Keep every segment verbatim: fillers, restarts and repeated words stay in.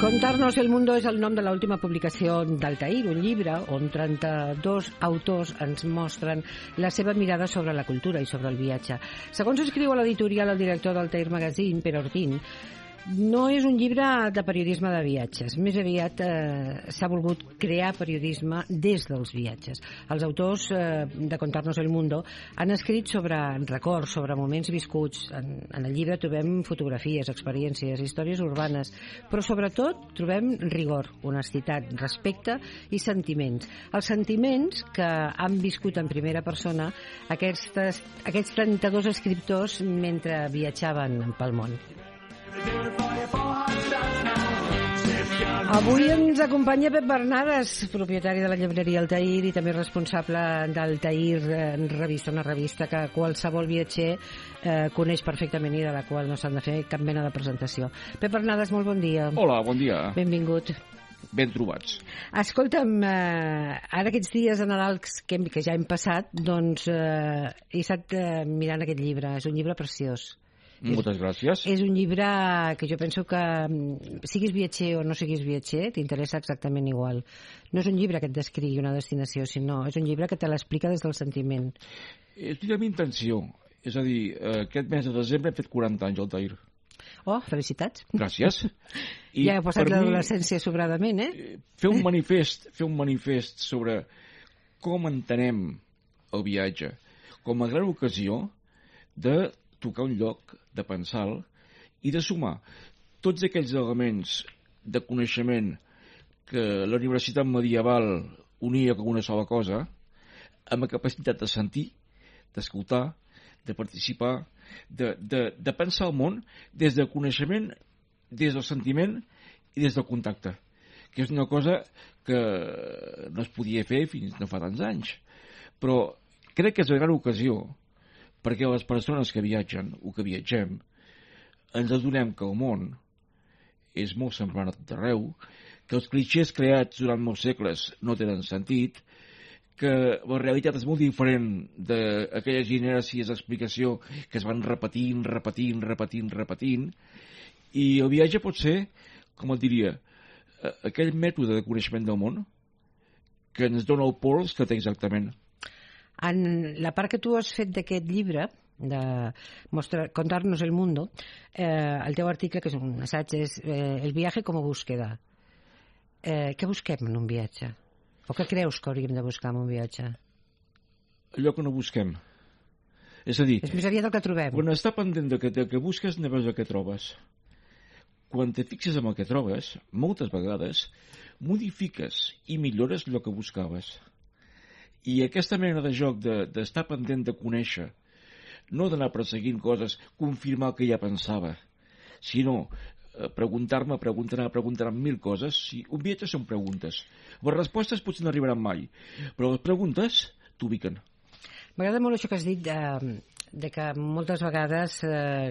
Contarnos el mundo és el nom de l'última publicació d'Altair, un llibre on trenta-dos autors ens mostren la seva mirada sobre la cultura i sobre el viatge. Segons escriu a l'editorial el director d'Altair Magazine, Pere Ortín, no és un llibre de periodisme de viatges, més aviat eh, s'ha volgut crear periodisme des dels viatges. Els autors eh, de Contarnos el Mundo han escrit sobre records, sobre moments viscuts. En, en el llibre trobem fotografies, experiències, històries urbanes, però sobretot trobem rigor, honestitat, respecte i sentiments. Els sentiments que han viscut en primera persona aquestes, aquests trenta-dos escriptors mentre viatjaven pel món. Avui ens acompanya Pep Bernades, propietari de la llibreria Altair i també responsable d'Altair Revista, una revista que qualsevol viatger eh, coneix perfectament i de la qual no s'han de fer cap mena de presentació. Pep Bernades, molt bon dia. Hola, bon dia. Benvingut. Ben trobats. Escolta'm, eh, ara aquests dies de Nadal que, que ja hem passat, doncs eh, he estat eh, mirant aquest llibre. És un llibre preciós. Moltes gràcies. És un llibre que jo penso que siguis viatger o no siguis viatger t'interessa exactament igual. No és un llibre que et descrigui una destinació, sinó és un llibre que te l'explica des del sentiment. És la meva intenció. És a dir, aquest mes de desembre he fet quaranta anys al Altair. Oh, felicitats. Gràcies. I ja heu passat l'adolescència sobradament, eh? Fer un manifest, fer un manifest sobre com entenem el viatge com a gran ocasió de tocar un lloc, de pensar i de sumar tots aquells elements de coneixement que la universitat medieval unia com una sola cosa amb la capacitat de sentir, d'escoltar, de participar, de, de, de pensar el món des del coneixement, des del sentiment i des del contacte, que és una cosa que no es podia fer fins no fa tants anys. Però crec que és una gran ocasió perquè les persones que viatgen o que viatgem ens adonem que el món és molt semblant a tot arreu, que els clixés creats durant molts segles no tenen sentit, que la realitat és molt diferent d'aquelles inèrcies d'explicació que es van repetint, repetint, repetint, repetint, i el viatge pot ser, com et diria, aquell mètode de coneixement del món que ens dona el pols que té exactament. En la part que tu has fet d'aquest llibre, de mostrar, Contarnos el Mundo, eh, el teu article, que és un assaig, és eh, el viatge com a búsqueda. Eh, què busquem en un viatge? O què creus que hauríem de buscar en un viatge? Allò que no busquem. És a dir... És més aviat el que trobem. Quan està pendent del que, del que busques, no veus el que trobes. Quan te fixes en el que trobes, moltes vegades modifiques i millores el que buscaves. I aquesta mena de joc d'estar de, pendent de conèixer, no d'anar perseguint coses, confirmar el que ja pensava, sinó eh, preguntar-me, preguntar-me, preguntar-me mil coses. Si un viatge són preguntes. Les respostes potser no arribaran mai, però les preguntes t'ubiquen. M'agrada molt això que has dit de, de que moltes vegades eh,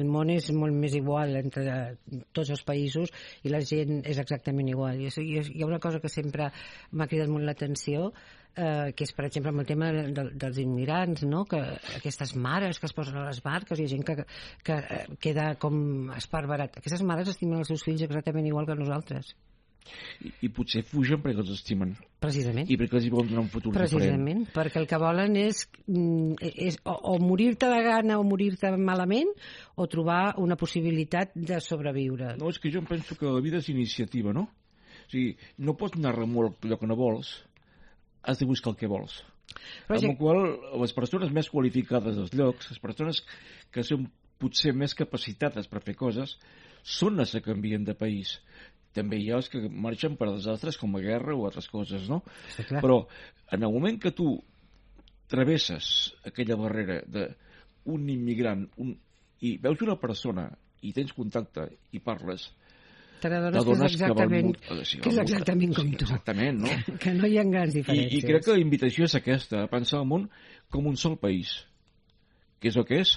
el món és molt més igual entre tots els països i la gent és exactament igual. I hi ha una cosa que sempre m'ha cridat molt l'atenció, eh, que és, per exemple, amb el tema de, de, dels immigrants, no? Que aquestes mares que es posen a les barques i hi ha gent que, que queda com esparverat. Aquestes mares estimen els seus fills exactament igual que nosaltres. I, i potser fugen perquè els estimen. Precisament. I perquè els hi volen donar un futur Precisament, diferent. perquè el que volen és, és o, o morir-te de gana o morir-te malament o trobar una possibilitat de sobreviure. No, és que jo em penso que la vida és iniciativa, no? O sigui, no pots anar remolc allò que no vols, has de buscar el que vols. Però amb ja... la qual les persones més qualificades dels llocs, les persones que són potser més capacitades per fer coses, són les que canvien de país. També hi ha els que marxen per desastres com la guerra o altres coses, no? Sí, però en el moment que tu travesses aquella barrera d'un immigrant un, i veus una persona i tens contacte i parles, t'adones que és exactament, que, val, que és exactament com tu. Exactament, no? Que, que no hi ha grans diferències. I, I crec que la invitació és aquesta, a pensar el món com un sol país. Què és el que és?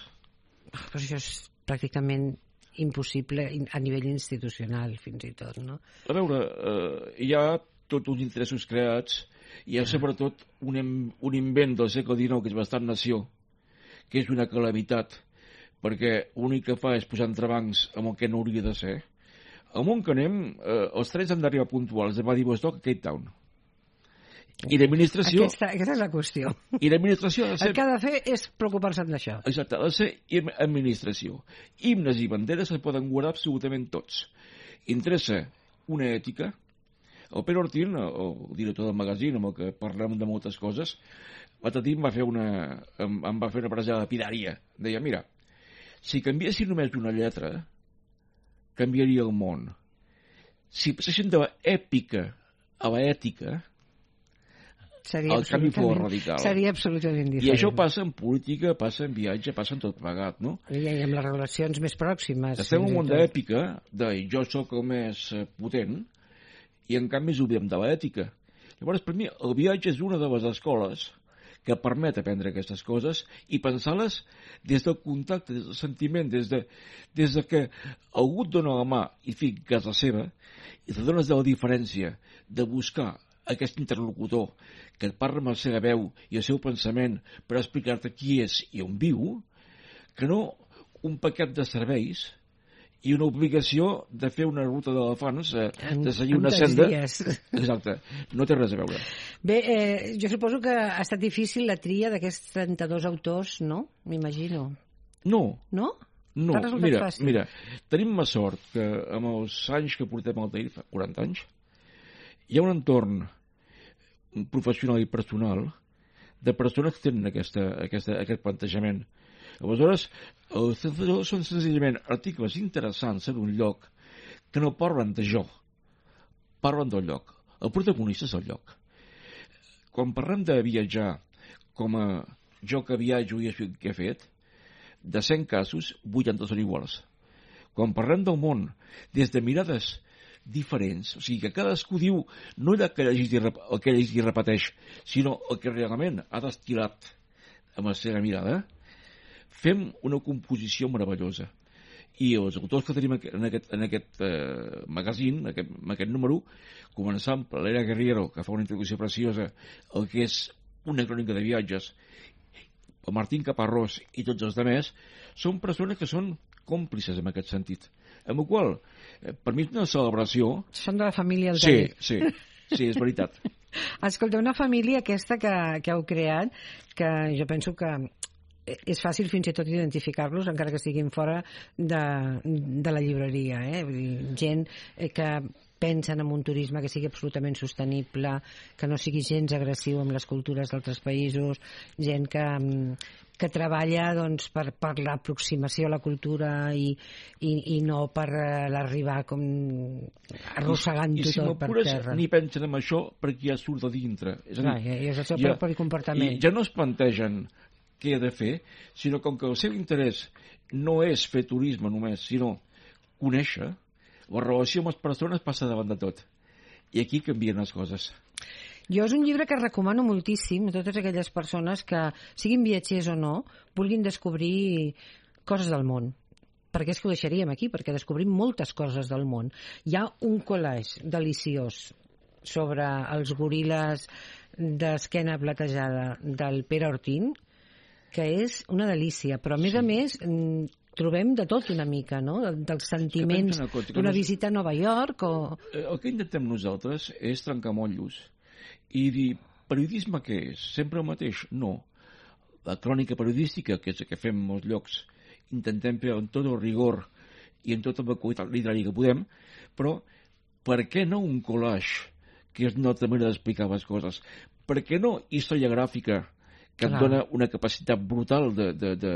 Però això és pràcticament impossible a nivell institucional, fins i tot, no? A veure, eh, hi ha tots uns interessos creats Hi ha sobretot un, un invent del segle dinou que és bastant nació, que és una calamitat, perquè l'únic que fa és posar entrebancs amb el que no hauria de ser. Al món que anem, eh, els trens han d'arribar puntuals de Vladivostok a Cape Town. I l'administració... Aquesta, aquesta és la qüestió. I l'administració ha de ser... El que ha de fer és preocupar-se d'això. Exacte, ha de ser administració. Himnes i banderes se poden guardar absolutament tots. Interessa una ètica. El Pere Ortín, el director del magazín, amb el que parlem de moltes coses, l'altre dia em va fer una, em, em va fer una frase lapidària. Deia, mira, si canviessin només una lletra, canviaria el món. Si passessin de l'èpica a l'ètica, seria el canvi fou radical. Seria absolutament diferent. I això passa en política, passa en viatge, passa en tot plegat, no? I amb les relacions més pròximes. Estem en un món d'èpica, de jo sóc el més potent, i en canvi ens oblidem de l'ètica. Llavors, per mi, el viatge és una de les escoles que permet aprendre aquestes coses i pensar-les des del contacte, des del sentiment, des de, des de que algú et dona la mà i fica casa seva, i te dones de la diferència de buscar aquest interlocutor que et parla amb la seva veu i el seu pensament per explicar-te qui és i on viu, que no un paquet de serveis i una obligació de fer una ruta d'elefants, eh, de seguir una senda. Dies. Exacte, no té res a veure. Bé, eh, jo suposo que ha estat difícil la tria d'aquests trenta-dos autors, no? M'imagino. No. No? No, T'ha resultat mira, fàcil? mira, tenim la sort que amb els anys que portem al Altair, fa quaranta anys, hi ha un entorn professional i personal de persones que tenen aquesta, aquesta, aquest plantejament. Aleshores, els trenta-dos són senzillament articles interessants en un lloc que no parlen de jo, parlen del lloc. El protagonista és el lloc. Quan parlem de viatjar com a jo que viatjo i això que he fet, de cent casos, vuitanta són iguals. Quan parlem del món des de mirades diferents, o sigui que cadascú diu no el que llegeix i, rep el que llegeix i repeteix, sinó el que realment ha destil·lat amb la seva mirada, fem una composició meravellosa. I els autors que tenim en aquest, en aquest eh, magazín, en aquest, en aquest número, començant per l'Era Guerriero, que fa una introducció preciosa, el que és una crònica de viatges, el Martín Caparrós i tots els altres, són persones que són còmplices en aquest sentit. Amb la qual cosa, per mi és una celebració... Són de la família Altair. Sí, sí, sí, és veritat. Escolta, una família aquesta que, que heu creat, que jo penso que és fàcil fins i tot identificar-los, encara que estiguin fora de, de la llibreria, eh? Vull dir, gent que pensen en un turisme que sigui absolutament sostenible, que no sigui gens agressiu amb les cultures d'altres països, gent que, que treballa doncs, per, per l'aproximació a la cultura i, i, i no per l'arribar com arrossegant-ho si tot per terra. Ni pensen en això perquè ja surt de dintre. És a dir, Clar, i és el seu ja, propi comportament. Ja no es plantegen què ha de fer, sinó com que el seu interès no és fer turisme només, sinó conèixer, la relació amb les persones passa davant de tot. I aquí canvien les coses. Jo és un llibre que recomano moltíssim a totes aquelles persones que, siguin viatgers o no, vulguin descobrir coses del món. Perquè és que ho deixaríem aquí, perquè descobrim moltes coses del món. Hi ha un collage deliciós sobre els goril·les d'esquena platejada del Pere Ortín, que és una delícia, però a més sí. a més trobem de tot una mica, no? Dels sentiments d'una visita a Nova York o... El que intentem nosaltres és trencar motllos i dir, periodisme què és? Sempre el mateix? No. La crònica periodística, que és el que fem en molts llocs, intentem fer amb tot el rigor i amb tota la qualitat literària que podem, però per què no un collage, que és una altra manera d'explicar les coses? Per què no història gràfica, que et dona una capacitat brutal de, de, de,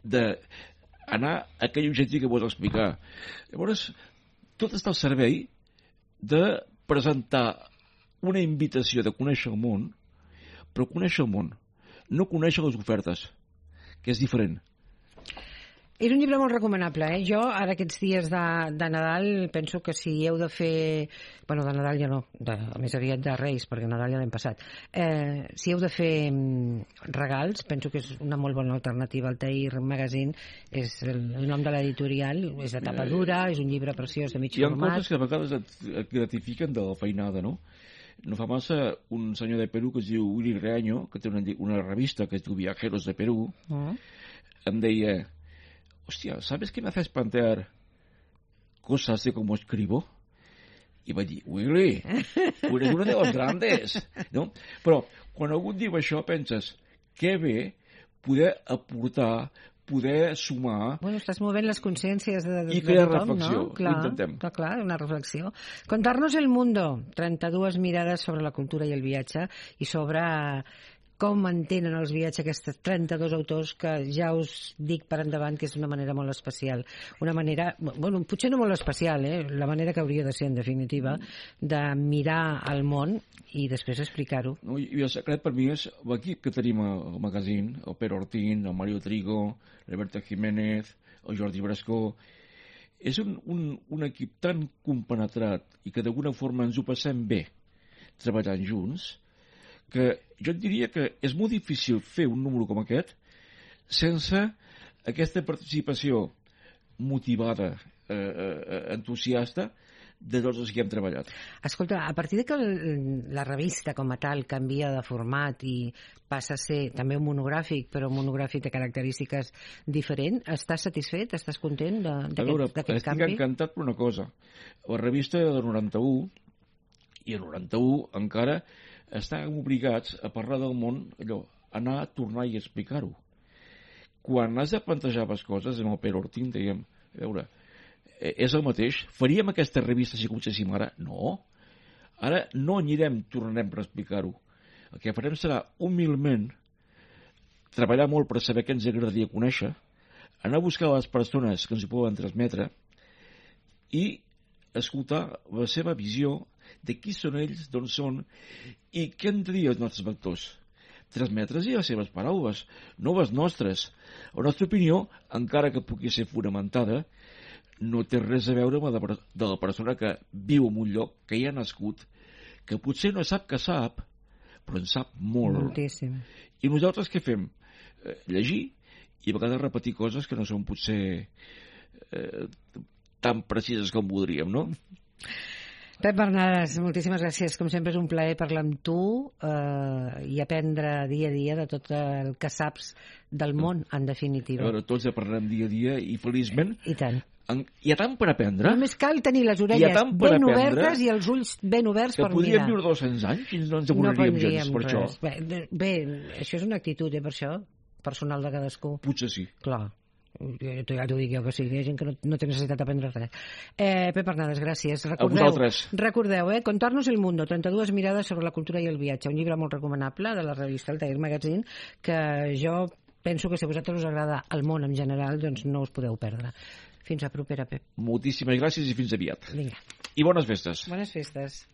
de anar a aquell objectiu que vols explicar. Llavors, tot està al servei de presentar una invitació de conèixer el món, però conèixer el món, no conèixer les ofertes, que és diferent. És un llibre molt recomanable, eh? Jo, ara aquests dies de, de Nadal, penso que si heu de fer... Bueno, de Nadal ja no, de, més aviat de Reis, perquè Nadal ja l'hem passat. Eh, si heu de fer regals, penso que és una molt bona alternativa. El Altair Magazine és el, el nom de l'editorial, és de tapa dura, és un llibre preciós de mig Hi ha format. coses que a vegades et, et gratifiquen de la feinada, no? no fa massa, un senyor de Perú que es diu Willy Reaño, que té una, una revista que es diu Viajeros de Perú, mm. em deia, hòstia, ¿sabes qué me hace espantar cosas de cómo escribo? I vaig dir, Willy, tu eres uno de los grandes, no? Però quan algú et diu això penses, que bé poder aportar, poder sumar... Bueno, estàs movent les consciències de, de, i crear de tothom, reflexió, no? Clar, ho intentem. Clar, clar, una reflexió. Contar-nos el mundo, trenta-dues mirades sobre la cultura i el viatge i sobre com entenen els viatges aquests trenta-dos autors que ja us dic per endavant que és una manera molt especial. Una manera, bueno, potser no molt especial, eh? La manera que hauria de ser, en definitiva, de mirar el món i després explicar-ho. No, i el secret per mi és l'equip que tenim al magazín, el Pere Ortín, el Mario Trigo, l'Alberto Jiménez, el Jordi Brascó. És un, un, un equip tan compenetrat i que d'alguna forma ens ho passem bé treballant junts, que jo et diria que és molt difícil fer un número com aquest sense aquesta participació motivada, eh, eh, entusiasta de tots els que hem treballat. Escolta, a partir de que la revista com a tal canvia de format i passa a ser també un monogràfic, però un monogràfic de característiques diferents, estàs satisfet? Estàs content d'aquest canvi? Estic encantat per una cosa. La revista era del noranta-u i el noranta-u encara estàvem obligats a parlar del món, allò, anar a tornar i explicar-ho. Quan has de plantejar les coses, amb el Pere Ortín dèiem, a veure, és el mateix? Faríem aquesta revista si comencéssim ara? No. Ara no anirem, tornarem per explicar-ho. El que farem serà, humilment, treballar molt per saber què ens agradaria conèixer, anar a buscar les persones que ens ho poden transmetre i escoltar la seva visió de qui són ells, d'on són i què han de dir els nostres lectors. Transmetre's les seves paraules, no les nostres. La nostra opinió, encara que pugui ser fonamentada, no té res a veure amb la de, de la persona que viu en un lloc, que hi ha nascut, que potser no sap que sap, però en sap molt. Moltíssim. I nosaltres què fem? Eh, llegir i a vegades repetir coses que no són potser eh, tan precises com voldríem, no? Pep Bernades, moltíssimes gràcies. Com sempre és un plaer parlar amb tu eh, i aprendre dia a dia de tot el que saps del món, en definitiva. A veure, tots parlem dia a dia i feliçment... I tant. En, hi ha tant per aprendre. Només cal tenir les orelles ben obertes i els ulls ben oberts per mirar. Que podríem viure dos-cents anys i no ens avorriríem no gens per res. Això. Bé, bé, això és una actitud, eh, per això, personal de cadascú. Potser sí. Clar. Ja t'ho dic jo que sí, hi ha gent que no, no té necessitat d'aprendre res. Eh, Pep Bernades, gràcies. Recordeu, a vosaltres. Recordeu, eh, Contar-nos el mundo, trenta-dues mirades sobre la cultura i el viatge, un llibre molt recomanable de la revista Altair Magazine, que jo penso que si a vosaltres us agrada el món en general, doncs no us podeu perdre. Fins a propera, Pep. Moltíssimes gràcies i fins aviat. Vinga. I bones festes. Bones festes.